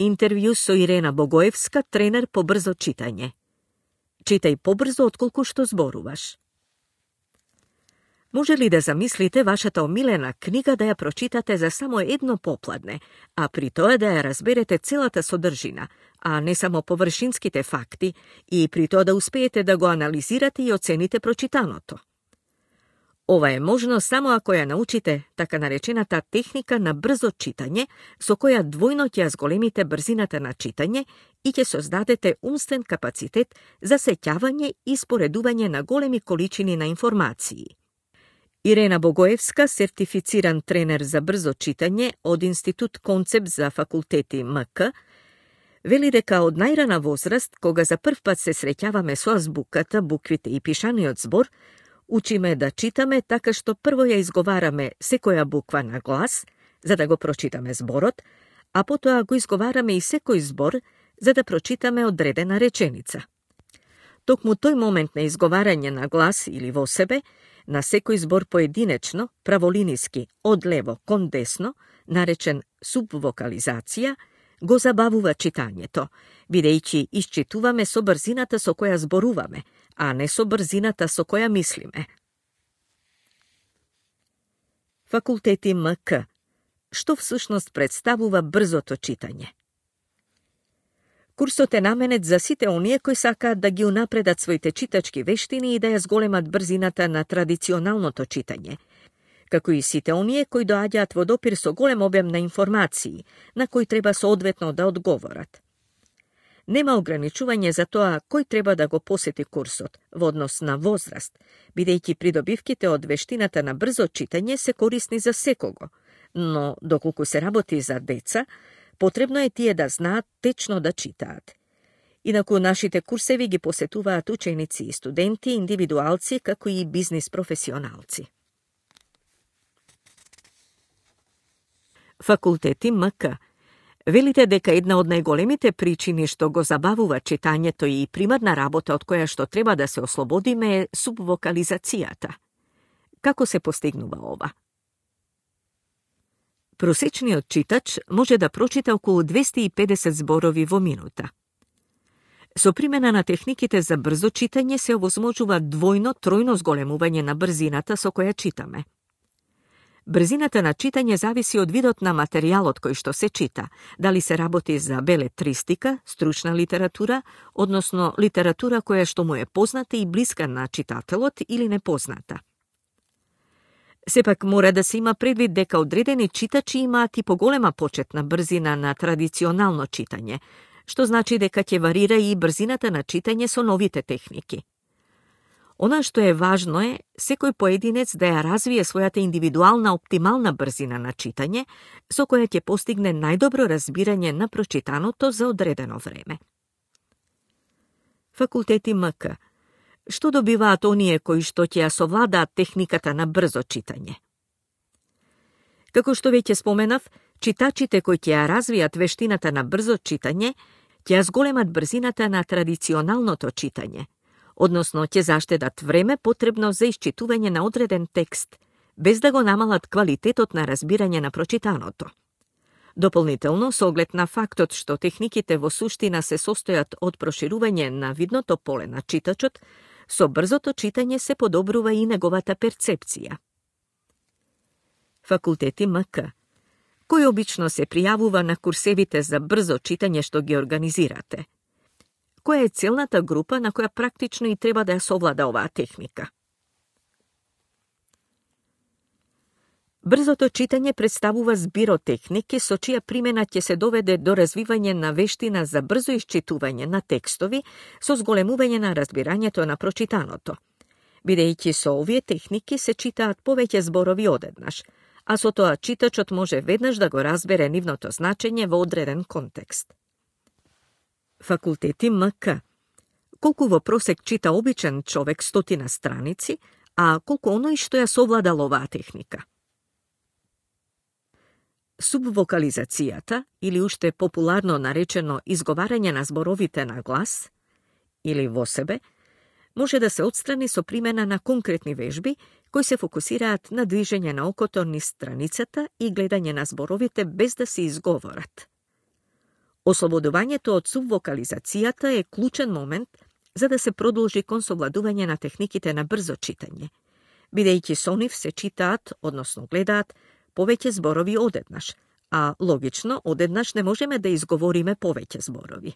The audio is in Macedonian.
Интервју со Ирена Богоевска, тренер по брзо читање. Читај побрзо отколку што зборуваш. Може ли да замислите вашата омилена книга да ја прочитате за само едно попладне, а при тоа да ја разберете целата содржина, а не само површинските факти, и при тоа да успеете да го анализирате и оцените прочитаното? Ова е можно само ако ја научите така наречената техника на брзо читање, со која двојно ќе ја зголемите брзината на читање и ќе создадете умствен капацитет за сеќавање и споредување на големи количини на информации. Ирена Богоевска, сертифициран тренер за брзо читање од Институт Концепт за факултети МК, вели дека од најрана возраст, кога за прв пат се среќаваме со азбуката, буквите и пишаниот збор, учиме да читаме така што прво ја изговараме секоја буква на глас, за да го прочитаме зборот, а потоа го изговараме и секој збор, за да прочитаме одредена реченица. Токму тој момент на изговарање на глас или во себе, на секој збор поединечно, праволиниски, од лево кон десно, наречен субвокализација, го забавува читањето, бидејќи исчитуваме со брзината со која зборуваме, а не со брзината со која мислиме. Факултети МК. Што всушност представува брзото читање? Курсот е наменет за сите оние кои сакаат да ги унапредат своите читачки вештини и да ја зголемат брзината на традиционалното читање, како и сите оние кои доаѓаат во допир со голем обем на информации, на кои треба соодветно да одговорат. Нема ограничување за тоа кој треба да го посети курсот во однос на возраст, бидејќи придобивките од вештината на брзо читање се корисни за секого, но доколку се работи за деца, потребно е тие да знаат течно да читаат. Инаку нашите курсеви ги посетуваат ученици и студенти, индивидуалци, како и бизнис професионалци. Факултети МК. Велите дека една од најголемите причини што го забавува читањето и примарна работа од која што треба да се ослободиме е субвокализацијата. Како се постигнува ова? Просечниот читач може да прочита околу 250 зборови во минута. Со примена на техниките за брзо читање се овозможува двојно-тројно зголемување на брзината со која читаме. Брзината на читање зависи од видот на материјалот кој што се чита, дали се работи за белетристика, стручна литература, односно литература која што му е позната и блиска на читателот или непозната. Сепак мора да се има предвид дека одредени читачи имаат и поголема почетна брзина на традиционално читање, што значи дека ќе варира и брзината на читање со новите техники. Она што е важно е секој поединец да ја развие својата индивидуална оптимална брзина на читање, со која ќе постигне најдобро разбирање на прочитаното за одредено време. Факултети МК. Што добиваат оние кои што ќе ја совладаат техниката на брзо читање? Како што веќе споменав, читачите кои ќе ја развијат вештината на брзо читање, ќе ја зголемат брзината на традиционалното читање, односно ќе заштедат време потребно за исчитување на одреден текст, без да го намалат квалитетот на разбирање на прочитаното. Дополнително, со оглед на фактот што техниките во суштина се состојат од проширување на видното поле на читачот, со брзото читање се подобрува и неговата перцепција. Факултети МК. Кој обично се пријавува на курсевите за брзо читање што ги организирате? Која е целната група на која практично и треба да ја совлада оваа техника? Брзото читање представува збир од техники со чија примена ќе се доведе до развивање на вештина за брзо исчитување на текстови со зголемување на разбирањето на прочитаното. Бидејќи со овие техники се читаат повеќе зборови одеднаш, а со тоа читачот може веднаш да го разбере нивното значење во одреден контекст. Факултети МК. Колку во просек чита обичен човек 100 страници, а колку оној што ја совладал оваа техника? Субвокализацијата, или уште популарно наречено изговарање на зборовите на глас, или во себе, може да се отстрани со примена на конкретни вежби кои се фокусираат на движење на окото низ страницата и гледање на зборовите без да се изговорат. Ослободувањето од субвокализацијата е клучен момент за да се продолжи кон совладување на техниките на брзо читање, бидејќи со нив се читаат, односно гледаат, повеќе зборови одеднаш, а логично, одеднаш не можеме да изговориме повеќе зборови.